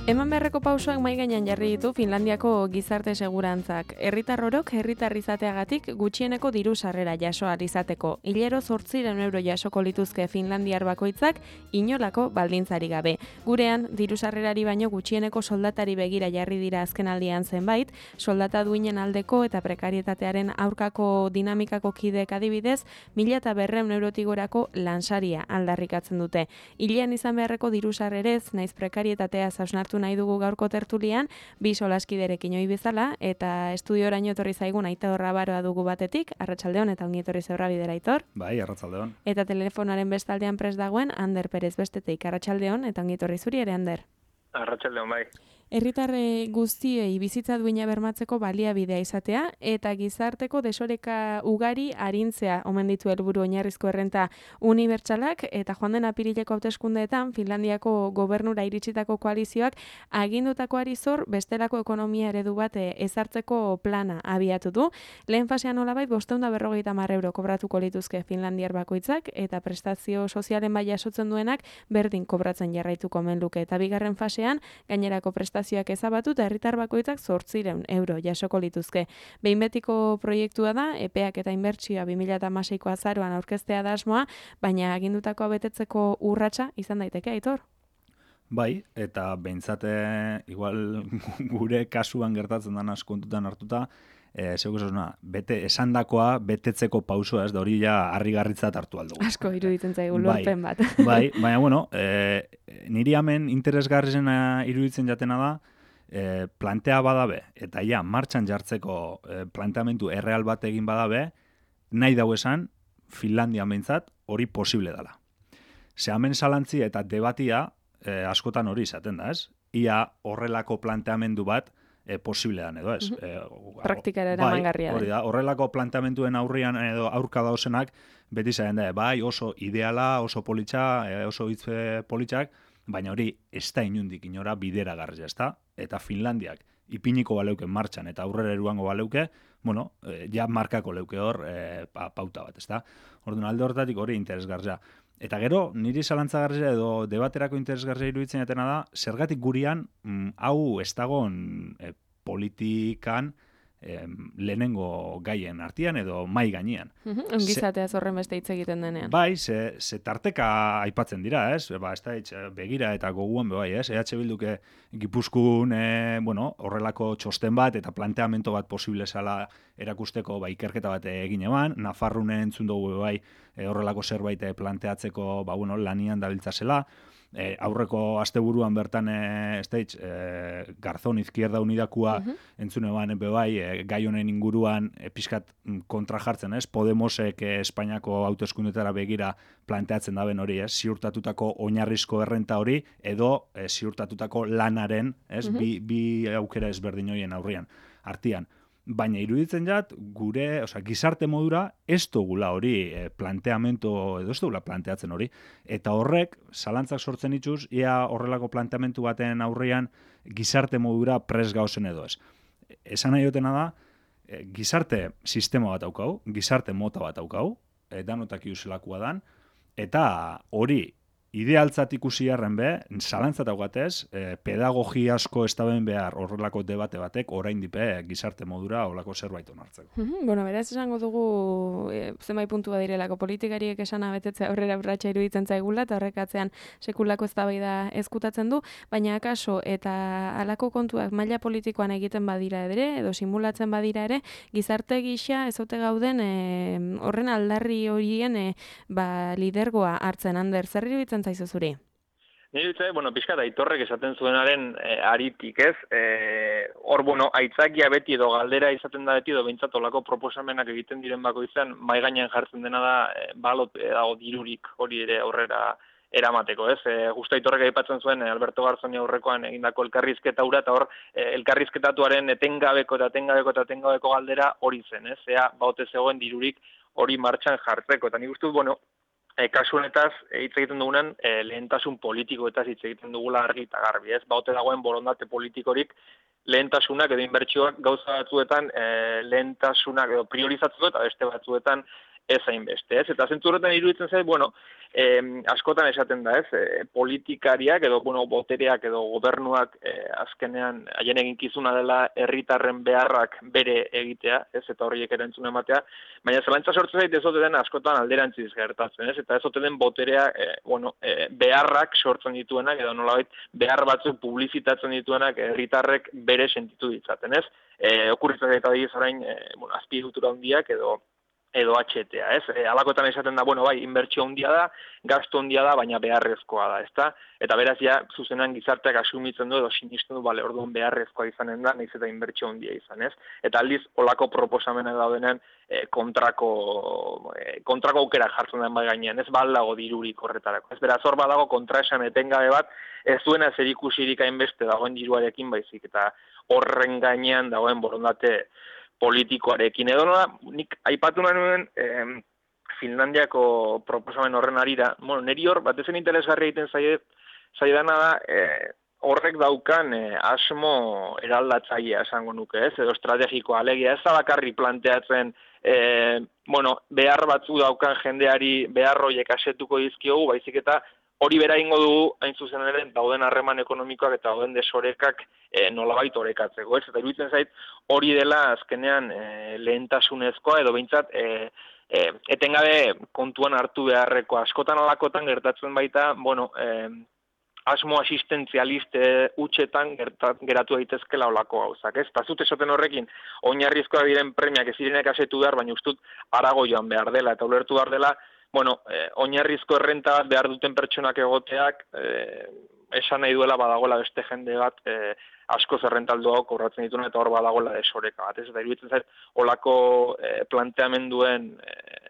Eman beharreko pausoak mahai gainean jarri ditu Finlandiako gizarte segurantzak. Herritar orok herritar izateagatik gutxieneko diru sarrera jaso ahal izateko. Hilero 800 euro jasoko lituzke finlandiar bakoitzak inolako baldintzari gabe. Gurean, diru sarrerari baino gutxieneko soldatari begira jarri dira azkenaldian zenbait, soldata duinen aldeko eta prekarietatearen aurkako dinamikako kideek adibidez, 1.200 eurotik gorako lansaria aldarrikatzen dute. Hilean izan beharreko diru sarrerez, naiz prekarietatea hausnartu nahi dugu gaurko tertulian, bi solaskiderekin ohi bezala, eta estudioraino etorri zaigun Aitor Rabaroa dugu batetik, arratsaldeon eta ongi etorri zeurra bidera, Aitor. Bai, arratsaldeon. Eta telefonoaren bestaldean prest dagoen Ander Perez bestetik, arratsaldeon eta ongi etorri zuri ere, Ander. Arratsaldeon, bai. Herritarre guztiei bizitza duina bermatzeko baliabidea izatea eta gizarteko desoreka ugari arintzea omen ditu helburu oinarrizko errenta unibertsalak eta joan den apirileko hauteskundeetan Finlandiako gobernura iritsitako koalizioak agindutakoari zor bestelako ekonomia eredu bat ezartzeko plana abiatu du. Lehen fasean nolabait 550 euro kobratuko lituzke finlandiar bakoitzak eta prestazio sozialen bai jasotzen duenak berdin kobratzen jarraituko omen luke. Eta bigarren fasean gainerako prestazioak ezabatu eta herritar bakoitzak 800 euro jasoko lituzke. Behin betiko proiektua da, epeak eta inbertsioa 2016ko azaroan aurkeztea da asmoa, baina agindutakoa betetzeko urratsa izan daiteke, Aitor? Bai, eta behintzate, igual gure kasuan gertatzen dana kontutan hartuta, esandakoa betetzeko pausoa, ez da hori ja harrigarritzat hartu aldugu. Asko iruditzen zaigu lorpen bat. Bai, baina bueno, niri hemen interesgarrizena iruditzen jatena da, plantea badabe, eta ja, martxan jartzeko planteamendu erreal bat egin badabe, nahi dau esan, Finlandia behintzat hori posible dela. Ze hemen zalantzi eta debatia askotan hori izaten da, ez? Ia horrelako planteamendu bat posible dan edo ez. Praktikara eramangarria. Hori da, horrelako planteamenduen aurrian edo aurka dauzenak beti zaten da, bai oso ideala, oso politxa, oso hitz politxak, baina hori ez da inundik inora bideragarria, ez da? Eta Finlandiak ipiniko baleuke martxan eta aurrera eruango baleuke, bueno, ja markako leuke hor pauta bat, ez da? Orduan alde horretatik hori interesgarria. Eta gero, niri zalantzagarria edo debaterako interesgarria iruditzen jatena da, zergatik gurian hau ez dagoen politikan lehenengo gaien artean edo mai gainean. Ongizatea horren beste hitz egiten denean. Bai, ze tarteka aipatzen dira, ez? Ba, ez da, begira eta goguan bai, ez? EH Bilduke Gipuzkoan, horrelako txosten bat eta planteamento bat posible zala erakusteko ikerketa bat egin eban, Nafarroan entzun dugu bai horrelako zerbait planteatzeko lanian dabiltza zela, aurreko asteburuan bertan Garzón Izquierda Unidakua entzun eban bai gai honen inguruan pixkat kontra jartzen, ez? Podemosek Espainiako hauteskundetara begira planteatzen daben hori, ez? Ziurtatutako oinarrizko errenta hori edo ziurtatutako lanaren, ez? Bi aukera ezberdin horien aurrian, artean. Baina iruditzen jat, gure, gizarte modura ez dugula hori planteamento, edo ez dugula planteatzen hori, eta horrek, zalantzak sortzen itxuz, ia horrelako planteamentu baten aurrean gizarte modura pres gauzen edo ez. Esan nahi dutena da, gizarte sistema bat daukau, gizarte mota bat daukau, danotak iuselakua dan, eta hori idealtzat ikusi harren be, zalantzat daugatez, pedagogia asko ez daben behar horrelako debate batek orain dipe gizarte modura horrelako zerbait onartzeko. Bueno, beraz esango dugu zenbait puntua direlako politikariek esana betetzea aurrera urratsa iruditzen zaigula eta horrekatzean sekulako eztabaida ezkutatzen du, baina akaso eta halako kontuak maila politikoan egiten badira ere edo simulatzen badira ere, gizarte gisa ez ote gauden horren aldarri horien lidergoa hartzen. Ander, zer iruditzen zaizu zuri? Nire dutze, pixkat Aitorrek esaten zuenaren aritik, ez? Hor, aitzakia beti edo galdera izaten da beti edo behintzat olako proposamenak egiten diren bako izan, mai gainean jartzen dena da balot dago dirurik hori ere aurrera eramateko, ez? Justo Aitorrek aipatzen zuen Alberto Garzoni aurrekoan egindako elkarrizketa hura, eta hor elkarrizketatuaren etengabeko galdera hori zen, ez? Ea baute zegoen dirurik hori martxan jartzeko, eta nik uste dut, kasu honetaz hitz egiten dugunen lehentasun politikoetaz hitz egiten dugula argi eta garbi, ez? Baute dagoen borondate politikorik lehentasunak edo inbertsioak gauza batzuetan lehentasunak edo priorizatzeko eta beste batzuetan ez hainbeste, ez? Eta zentzu horretan iruditzen zait, bueno, askotan esaten da, ez? Politikariak edo, bueno, botereak edo gobernuak azkenean haien eginkizuna dela herritarren beharrak bere egitea, ez? Eta horiek erantzun ematea, baina zelantza sortzen zait ez ote den askotan alderantziz gertatzen, ez? Eta ez ote den boterea, beharrak sortzen dituenak edo nolabait behar batzuk publizitatzen dituenak herritarrek bere sentitu ditzaten, ez? Okurritzen eta diez orain, azpiegitura handiak edo HTA, ez? Alakotan esaten da, bai, inbertsio handia da, gastu handia da, baina beharrezkoa da, ezta? Eta beraz, ja, zuzenan gizarteak asumitzen du edo sinisten du, bale, orduan beharrezkoa izanen da, nahiz eta inbertsio handia izan, ez? Eta aldiz, olako proposamenak daudenean, kontrako aukera jartzen den bai gainean, ez baldago dirurik horretarako. Ez beraz, hor badago kontraesan etengabe bat, ez duena zerikusirik hainbeste dagoen diruarekin baizik, eta horren gainean dagoen borondate politikoarekin. Edo nola, nik aipatu nuen Finlandiako proposamen horren arira, niri hor, batezen interesgarri egiten zaidana da, horrek daukan asmo eraldatzailea esango nuke, ez? Edo estrategikoa, alegia, ez da bakarri planteatzen, behar batzu daukan jendeari behar horiek asetuko dizkiogu, baizik eta hori bera ingo dugu, hain zuzen ere, dauden harreman ekonomikoak eta dauden desorekak nolabait orekatzeko, ez? Eta iruditzen zait, hori dela azkenean lehentasunezkoa, edo behintzat, etengabe kontuan hartu beharreko askotan alakotan gertatzen baita, asmo asistentzialiste hutsetan geratu daitezkela olako gauzak, ez? Eta zut esaten horrekin, oinarrizkoa diren premiak ez direnek asetu behar, baina ustut harago joan behar dela, eta ulertu behar dela, oinarrizko errenta bat behar duten pertsonak egoteak, esan nahi duela badagoela beste jende bat askoz errentaldoak kobratzen dituen eta hor badagoela desoreka bat. Eta iruditzen zait, olako planteamenduen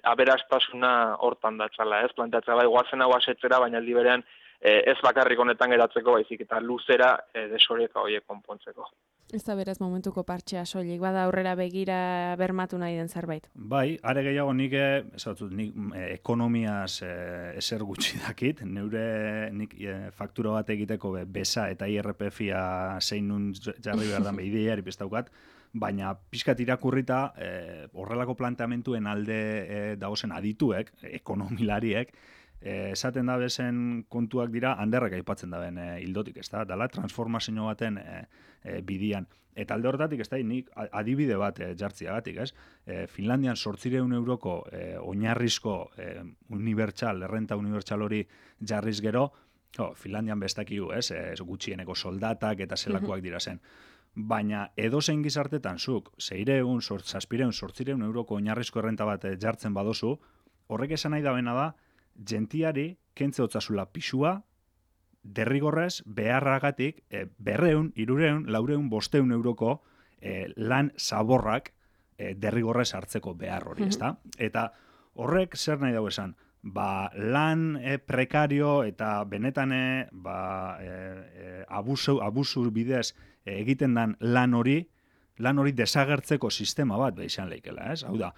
aberastasuna hortan datzala, ez? Planteatzea bai, guazen hau asetzera, baina aldi berean ez bakarrik honetan geratzeko, baizik eta luzera desoreka horiek konpontzeko. Ez da beraz momentuko partxea soilik, bada aurrera begira bermatu nahi den zerbait. Bai, are gehiago nik ekonomiaz ezer gutxi dakit, nik faktura bat egiteko besa eta IRPF-ia zein nun jarri behar dan behideiari bestaukat, baina pixkat irakurrita horrelako planteamentuen alde dagozen adituek, ekonomilariek, esaten da bezen kontuak dira handerrak aipatzen daben hildotik, ez da? Dala transformazio baten bidian. Eta alde horretatik, ez da, nik adibide bat jartziagatik, ez? Finlandian 800 euroko oinarrizko errenta unibertsal hori jarriz gero, Finlandian bestakigu, ez? Gutxieneko soldatak eta zelakoak dira zen. Baina edozein gizartetan zuk, 600, 700, 800 euroko oinarrizko errenta bat jartzen badozu, horrek esan nahi dabena da, gentiari kentze hotzazula pisua, derrigorrez beharragatik 200, 300, 400, 500 euroko lan zaborrak derrigorrez hartzeko behar hori, ezta? Eta horrek zer nahi dago esan? Lan prekario eta benetan abusu bidez egiten dan lan hori desagertzeko sistema bat izan leikela, ez? Hau da,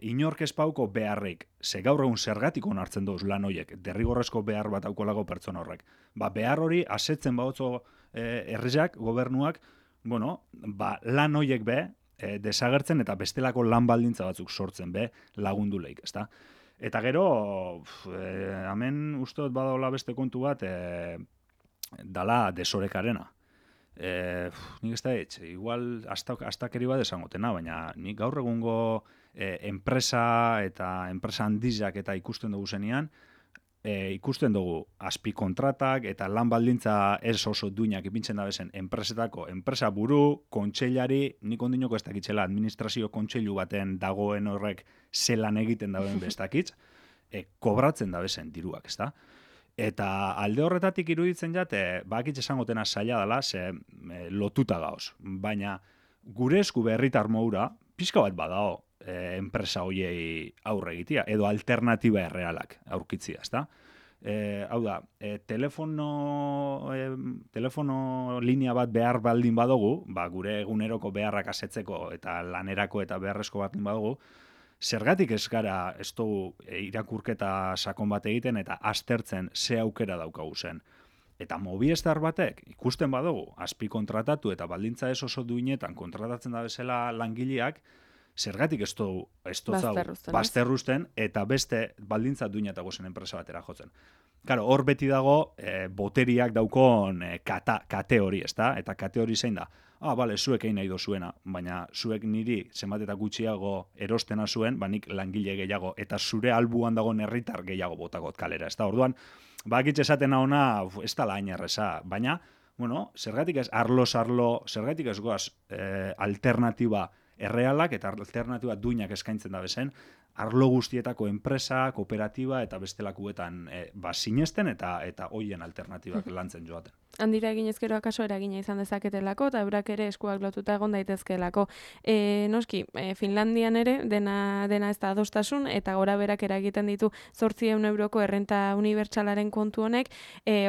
inork ez pauko beharrik, ze gaur egun zergatik onartzen duz lan horiek, derrigorrezko behar bat aukolago pertsona horrek. Behar hori asetzen bautzo herriak, gobernuak, lan horiek desagertzen eta bestelako lan baldintza batzuk sortzen lagundu leik, ezta? Eta gero, hemen usteot badaola beste kontu bat, dala desorekarena. Nik ez da igual astakeri bat esangotena, baina nik gaur egungo enpresa eta enpresa handizak eta ikusten dugu zenean, ikusten dugu azpikontratak eta lan baldintza ez oso duinak ipintzen da bezen enpresa buru, kontseilari, nik ondinoko ez dakitzela administrazio kontseilu baten dagoen horrek zelan egiten dagoen bestakitz, kobratzen da bezen diruak, ez da? Eta alde horretatik iruditzen jate, bakitz esangotena zaila dela, ze lotuta gaoz. Baina gure esku herritar moura, pixka bat badao enpresa hoiei aurre egitea, edo alternatiba errealak aurkitzia, ezta? Hau da, telefono linea bat behar baldin badugu, gure eguneroko beharrak asetzeko eta lanerako eta beharrezko baldin badugu, zergatik ez gara ez dugu irakurketa sakon bat egiten eta aztertzen ze aukera daukagu zen. Eta Movistar batek ikusten badugu azpi kontratatu eta baldintza ez oso duinetan kontratatzen da bezala langileak, zergatik ez bazterruzten eta beste baldintza duinatago zen enpresa batera jotzen. Claro, hor beti dago boteriak daukon kate hori, ezta? Eta kate hori zein da? Bale, zuek egin nahi dozuena, baina zuek niri zenbat eta gutxiago erostena zuen, nik langile gehiago, eta zure albuan dagoen herritar gehiago botakot kalera, ezta? Orduan, bakitz esaten ona, ez da hain erreza, baina, bueno, zergatik ez arlo, zergatik ez goaz alternatiba errealak eta alternatiba duinak eskaintzen da bezen, arlo guztietako enpresa, kooperatiba eta bestelakuetan sinesten eta hoien alternatibak lantzen joaten. Handira eginezkero akaso eragina izan dezaketelako, eta eurak ere eskuak lotuta egon daitezkeelako. Noski, Finlandian ere, dena ez da adostasun, eta gora berak eragiten ditu 800 euroko errenta unibertsalaren kontu honek,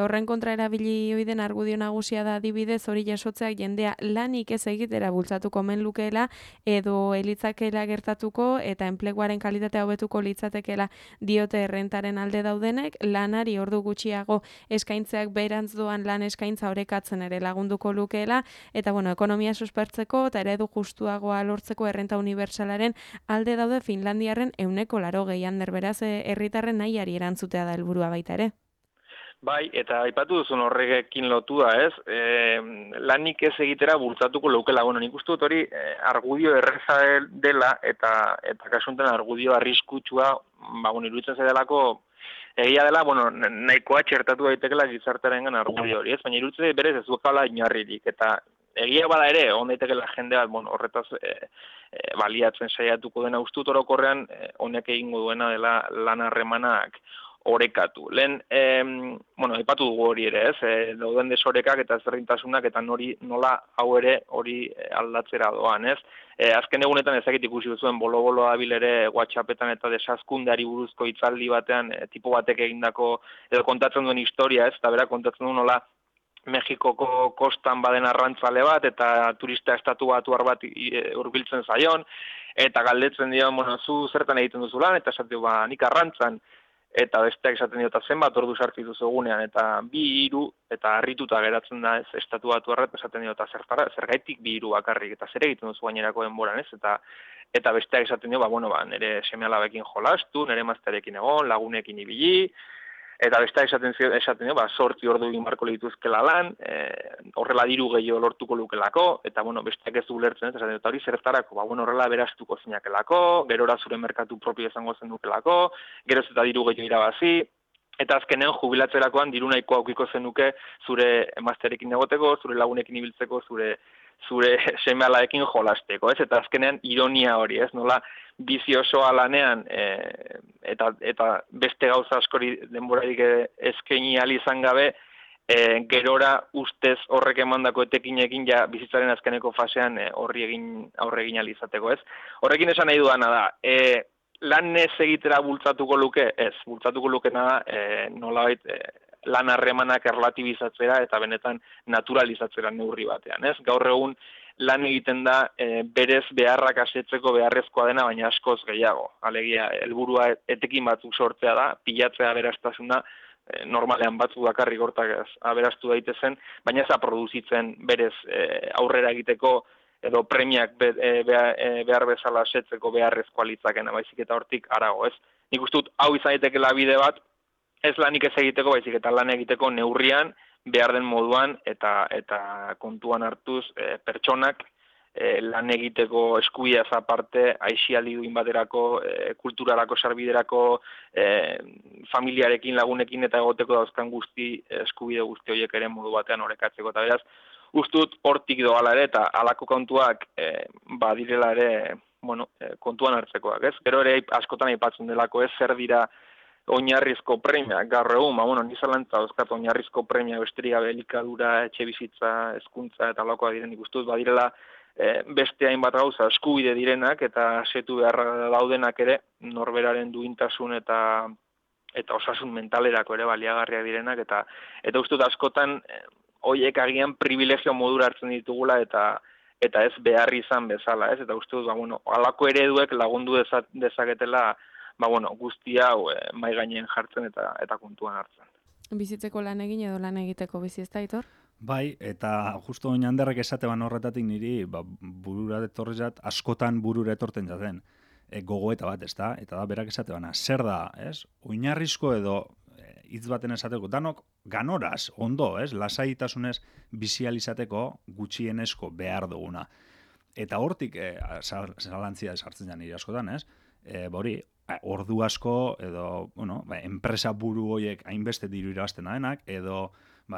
horren kontra erabili oiden argudio nagusia da adibidez hori jasotzeak jendea lanik ez egitera bultzatuko men lukeela, edo elitzakela gertatuko, eta enpleguaren kalitatea hobetuko litzatekeela diote errentaren alde daudenek, lanari ordu gutxiago eskaintzeak berantz doan lan eskaintza orekatzen ere lagunduko lukeela, eta ekonomia suspertzeko eta eredu justuagoa lortzeko errenta unibertsalaren alde daude Finlandiarren 80% beraz herritarren nahiari erantzutea da helburua baita ere. Bai, eta aipatu duzun horrekin lotua, ez? Lanik ez egitera bultzatuko leukela. Nik uste dut hori argudio erreza dela eta kasunten argudio arriskutsua, iruditzen zaidelako egia dela, nahikoa txertatu daitekela gizartearengan argudio hori, ez? Baina iruditzen berez ez duela inarririk, eta egia bada ere, on daitekela jendea, horretaz baliatzen saiatuko dena ustut orokorrean, honek egingo duena dela lan harremanak orekatu. Lehen, aipatu dugu hori ere, ez? Dauden desorekak eta ezberdintasunak eta nola hau ere hori aldatzera doan, ez? Azken egunetan ezakit ikusi duzuen bolo-bolo abil ere WhatsAppetan eta desazkundeari buruzko hitzaldi batean tipo batek egindako edo kontatzen duen historia, ez? Eta bera kontatzen duen nola Mexikoko kostan baden arrantzale bat eta turista estatu batuar bat hurbiltzen zaion eta galdetzen dio, zu zertan egiten duzu lan, eta esaten nik arrantzan. Eta besteak esaten diota zenbat ordu sartu dituzu egunean, eta 2-3, eta harrituta geratzen da ez estatu batuarra, esaten diota zergaitik 2-3 bakarrik, eta zer egiten duzu gainerako denboran, ez? Eta besteak esaten dio, nire seme-alabekin jolastu, nire emaztearekin egon, lagunekin ibili, eta besteak esaten dio, 8 ordu egin barko lituzkela lan, horrela diru gehiago lortuko lukelako, eta besteak ez du ulertzen, esaten dio, hori zertarako, horrela beraztuko zinakelako, gerora zure merkatu propio izango zen dukelako, geroz eta diru gehiago irabazi, eta azkenean jubilatzerakoan diru nahiko aukiko zenuke zure emaztearekin egoteko, zure lagunekin ibiltzeko, zure seme-alabekin jolasteko, ez? Eta azkenean ironia hori, ez? Nola bizi osoa lanean eta beste gauza askori denborarik eskaini ahal izan gabe, gerora ustez horrek emandako etekinekin ja bizitzaren azkeneko fasean aurre egin ahal izateko, ez? Horrekin esan nahi dudana da, lan ez egitera bultzatuko luke, ez, bultzatuko lukena da, nolabait lan harremanak erlatibizatzera eta benetan naturalizatzera neurri batean, ez? Gaur egun lan egiten da berez beharrak asetzeko beharrezkoa dena, baina askoz gehiago. Alegia, helburua etekin batzuk sortzea da, pilatzea aberastasuna, normalean batzuk bakarrik hortak aberastu daitezen, baina ez produzitzen berez aurrera egiteko edo premiak behar bezala asetzeko beharrezkoa litzakena, baizik eta hortik harago, ez? Nik uste dut hau izan daitekeela bide bat, ez lanik ez egiteko, baizik eta lan egiteko neurrian, behar den moduan eta kontuan hartuz pertsonak lan egiteko eskubideaz aparte, aisialdi duin baterako, kulturarako, sarbiderako, familiarekin, lagunekin eta egoteko dauzkan eskubide guzti horiek ere modu batean orekatzeko. Eta beraz, ustut hortik doala ere eta halako kontuak badirela ere kontuan hartzekoak, ez? Gero ere askotan aipatzen delako, ez zer dira oinarrizko premia, gaur egun, nizalantza dauzkat oinarrizko premia besterik gabe elikadura, etxe bizitza, hezkuntza eta halakoak diren ikustuz, badirela beste hainbat gauza eskubide direnak eta setu beharra daudenak ere norberaren duintasun eta osasun mentalerako ere baliagarriak direnak eta uste dut askotan horiek agian privilegio modura hartzen ditugula eta ez behar izan bezala, ez? Eta uste dut, halako ereduek lagundu dezaketela guzti hau mai gainen jartzen eta kontuan hartzen. Bizitzeko lan egin edo lan egiteko bizi, ez da, Aitor? Bai, eta justo oin handerrek esateban horretatik niri, burura etorrezat, askotan burura etorten jaten, gogoeta bat, ezta? Eta da, berak esatebana, zer da, ez? Oinarrizko edo hitz baten esateko, danok ganoraz, ondo, ez? Lasaitasunez bizializateko gutxienesko behar duguna. Eta hortik zalantzia esartzen jan nire askotan, ez? Hori, ordu asko, edo, bueno, enpresa buru horiek hainbeste diru irabazten denak, edo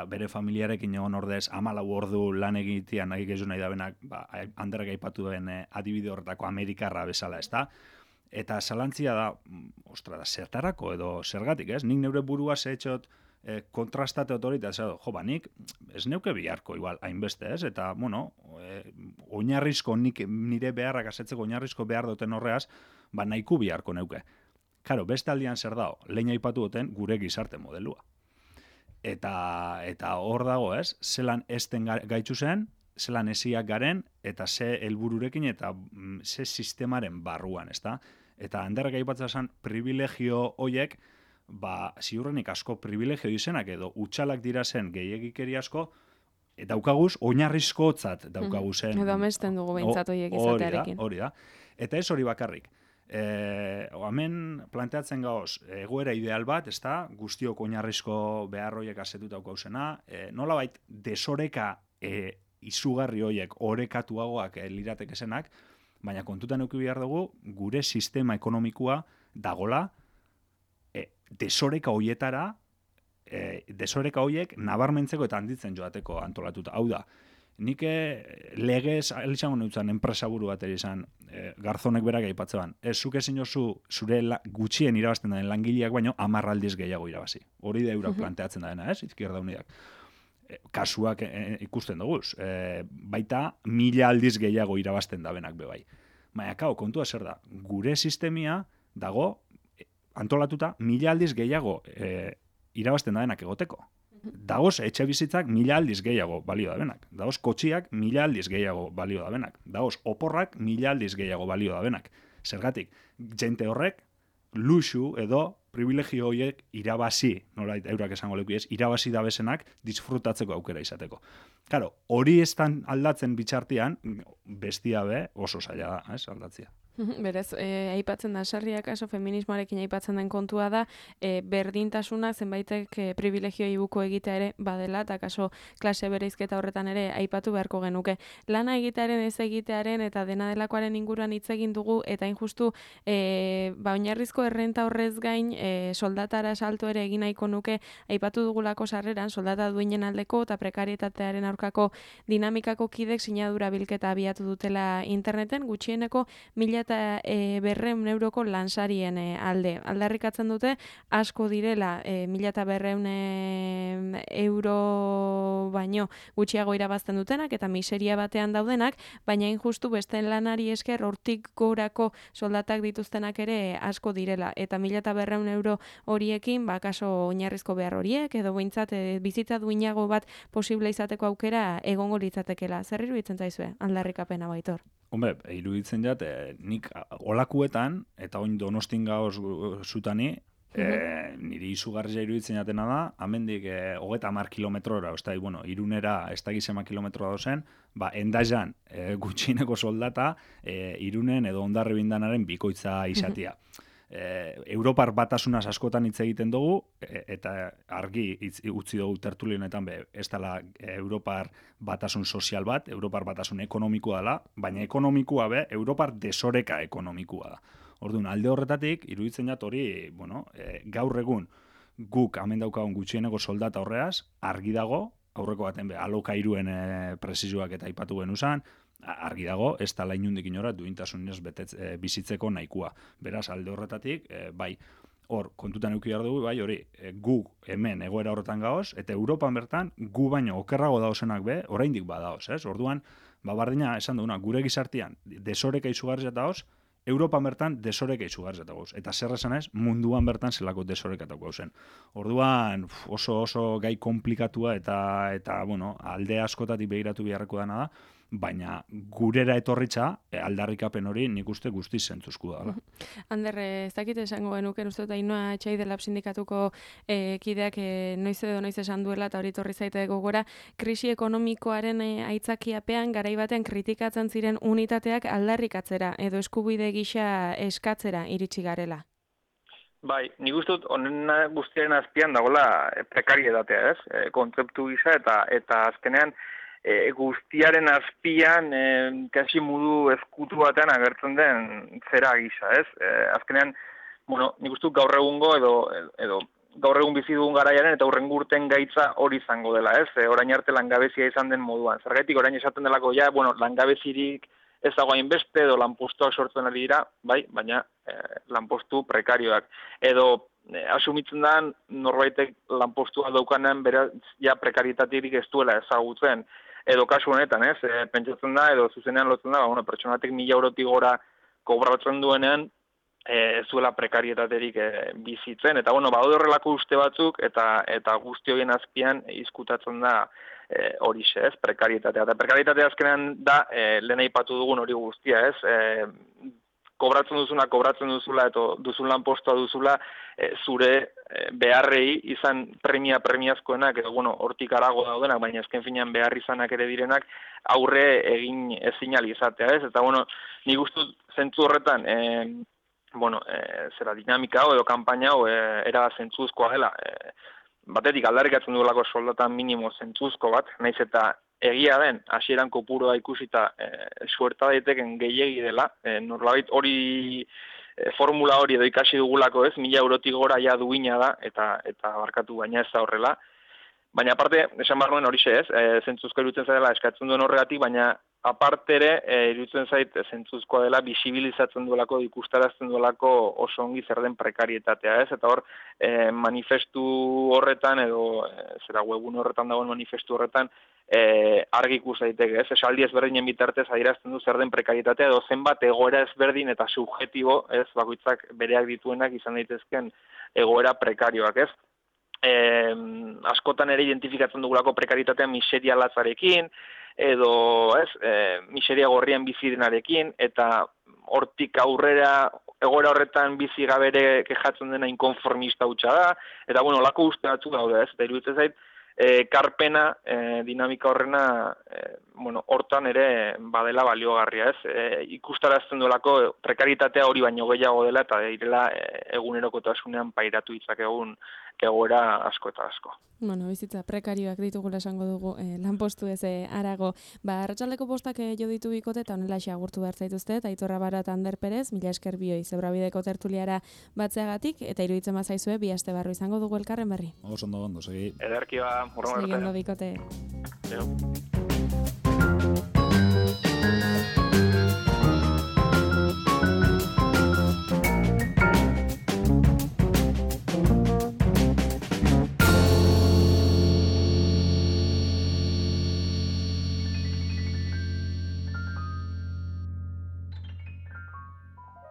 bere familiarekin egon ordez 14 ordu lan egitea nahi gezu nahi da benak, handerrek aipatu den adibide horretako Amerikarra bezala, ezta? Eta zalantzia da, ostra, da, zertarako edo zergatik, ez? Nik neure burua zehetxot kontrastate hori, eta nik ez neuke biharko igual hainbeste, ez? Eta, bueno, oinarrizko nik nire beharrak asetzeko oinarrizko behar duten horreaz, nahiku biharko neuke. Karo, beste aldian zer dago, lehen aipatu duten gure gizarte modelua. Eta hor dago, ez? Zelan ezten gaitzu zen, zelan esiak garen, eta ze helbururekin eta ze sistemaren barruan, ezta? Eta handerrek aipatzen zen privilegio hoiek, ziurrenik asko privilegio izenak edo utxalak dira zen gehiagikeri asko, daukaguz, oinarrizkotzat daukaguzen. Edo amesten dugu behintzat hoiek izatearekin. Hori da. Eta ez hori bakarrik. Hemen planteatzen gauz, egoera ideal bat, ezta, guztiok oinarrizko behar hoiek asetuta daukauzena, nolabait desoreka izugarri hoiek orekatuagoak liratekesenak, baina kontutan eduki behar dugu, gure sistema ekonomikoa dagola desoreka hoietara, desoreka hoiek nabarmentzeko eta handitzen joateko antolatuta. Hau da, nik legez, elitxango neutzen, enpresaburu bat izan, Garzonek berak aipatzean. Zuk ezin jozu zure gutxien irabazten den langileak baino 10 aldiz gehiago irabazi. Hori da eurak planteatzen dena, ez? Izquierda Unidak. Kasuak ikusten dugu. Baita 1000 aldiz gehiago irabazten da benak bebai. Baina, kontua zer da. Gure sistemia dago antolatuta 1000 aldiz gehiago irabazten da benak egoteko. Dagoz etxe bizitzak 1000 aldiz gehiago balio da benak. Dagoz kotxiak 1000 aldiz gehiago balio da benak. Dagoz oporrak 1000 aldiz gehiago balio da benak. Zergatik, jente horrek luxu edo privilegio horiek irabazi, nolait eurak esango leku ez, irabazi da bezenak disfrutatzeko aukera izateko. Claro, hori estan aldatzen bitxartian, bestia be oso zaila da, ez, aldatzia. Berez, aipatzen da, sarriak kaso feminismoarekin aipatzen den kontua da, berdintasuna zenbaitek privilegioi buko egitea ere badela, eta kaso klase bereizketa horretan ere aipatu beharko genuke. Lana egitearen ez egitearen eta dena delakoaren inguruan hitz egin dugu, eta injustu oinarrizko errenta horrez gain soldatara salto ere egin nahiko nuke aipatu dugulako sarreran, soldata duinen aldeko eta prekarietatearen aurkako dinamikako kidek sinadura bilketa abiatu dutela interneten, gutxieneko 1.200 euroko lansarien alde. Aldarrikatzen dute, asko direla 1.200 euro baino gutxiago irabazten dutenak eta miseria batean daudenak, baina injustu beste lanari esker hortik gorako soldatak dituztenak ere asko direla. Eta 1.200 euro horiekin, kaso oinarrizko behar horiek, edo behintzat bizitza duinago bat posible izateko aukera egongo litzatekela. Zer iruditzen zaizue, aldarrikapena Baitor? Hombre, iruditzen jat, nik olakuetan, eta oin Donostin gauz zutani, niri izugarria iruditzen jatena da, amendik 30 kilometrora, bueno, Irunera ez da gizema kilometroa dozen, endaian gutxineko soldata, Irunen edo Hondarri bindanaren bikoitza izatia. Europar batasunaz askotan hitz egiten dugu, eta argi utzi dugu tertulionetan ez dela Europar batasun sozial bat, Europar batasun ekonomikoa dela, baina ekonomikoa Europar desoreka ekonomikoa da. Orduan, alde horretatik, iruditzen jat hori, gaur egun guk hemen daukagun gutxieneko soldata horreaz, argi dago, aurreko baten alokairuen presizioak eta aipatu genuzan, argi dago, ez da lainundik inora duintasunez bizitzeko nahikoa. Beraz, alde horretatik, hor, kontutan eduki behar dugu, hori, gu hemen egoera horretan gaoz, eta Europan bertan, gu baino okerrago daozenak oraindik badaoz, ez? Orduan, bardina esan duguna, gure gizartian desoreka izugarri zatagoz, Europan bertan desoreka izugarri zatagoz. Eta zer esan ez, munduan bertan zelako desoreka zen. Orduan, oso gai komplikatua eta alde askotatik begiratu beharreko dana da, baina gurera etorritza aldarrikapen hori nik uste guztiz zentzuzku dela. Ander, ez dakit esango genuken, uste dut Ainhoa Txaidelab sindikatuko kideak noiz edo noiz esan duela, eta hori torri zaite gogora, krisi ekonomikoaren aitzakiapean garai baten kritikatzen ziren unitateak aldarrikatzera edo eskubide gisa eskatzera iritsi garela. Bai, nik uste dut honen guztiaren azpian dagoela prekarietatea, ez? Kontzeptu gisa eta azkenean guztiaren azpian kasi modu ezkutu batean agertzen den zera gisa, ez? Azkenean, bueno, nik uste dut gaur egungo edo gaur egun bizi dugun garaiaren eta hurrengo urten gaitza hori izango dela, ez? Orain arte langabezia izan den moduan. Zergatik orain esaten delako ja, bueno, langabezirik ez dago hainbeste edo lanpostuak sortzen ari dira, bai, baina lanpostu prekarioak. Edo asumitzen da norbaitek lanpostua daukanean beraz ja prekarietaterik ez duela ezagutzen. Edo kasu honetan, ez? Pentsatzen da edo zuzenean lotzen da, bueno, pertsonatek 1.000 eurotik gora kobratzen duenean ez duela prekarietaterik bizitzen. Eta, bueno, badaude horrelako uste batzuk eta guzti horien azpian izkutatzen da horixe, ez? Prekarietatea. Eta prekarietatea azkenean da lehen aipatu dugun hori guztia, ez? Kobratzen duzula eta duzun lanpostua duzula zure beharrei izan premiazkoenak edo bueno, hortik arago daudenak, baina azken finean behar izanak ere direnak aurre egin ezin izatea, ez? Eta bueno, nik uste zentzu horretan zera dinamika hau edo kanpaina hau era zentzuzkoa dela. Batetik aldarrikatzen duelako soldata minimo zentzuzko bat, naiz eta egia den, hasieran kopuroa ikusita suerta daiteken gehiegi dela, norlabait hori formula hori edo ikasi dugulako ez, 1.000 eurotik gora ja duina da, eta barkatu baina ez da horrela. Baina aparte, esan behar nuen horixe ez, zentzuzko iruditzen zaidela eskatzen duen horregatik, baina aparte ere, iruditzen zait zentzuzkoa dela, bisibilizatzen duelako, ikustarazten duelako oso ongi zer den prekarietatea ez, eta hor, manifestu horretan, edo zera webun horretan dagoen manifestu horretan, argi ikus daiteke, ez? Esaldi ezberdinen bitartez adierazten du zer den prekarietatea edo zenbat egoera ezberdin eta subjetibo, ez? Bakoitzak bereak dituenak izan daitezken egoera prekarioak, ez? Askotan ere identifikatzen dugulako prekarietatea miseria latzarekin edo, ez? Miseria gorrian bizi denarekin eta hortik aurrera egoera horretan bizi gabere kejatzen dena inkonformista hutsa da eta bueno, lako uste batzuk daude, ez? Eta iruditzen zait karpena, dinamika horrena, hortan ere badela baliogarria, ez? Ikustarazten duelako prekaritatea hori baino gehiago dela eta direla egunerokotasunean pairatu ditzakegun egoera asko eta asko. Bueno, bizitza prekarioak ditugula esango dugu lanpostu ez harago. Arratsaldeko postak jo ditu bikote eta honelaxe agurtu behar zaituzte, Aitor Abaro eta Ander Perez, mila esker bioi Zebrabideko tertuliara batzeagatik, eta iruditzen bazaizue bi aste barru izango dugu elkarren berri. Oso ondo, segi. Ederki ba, Seguindo bikote. Eo.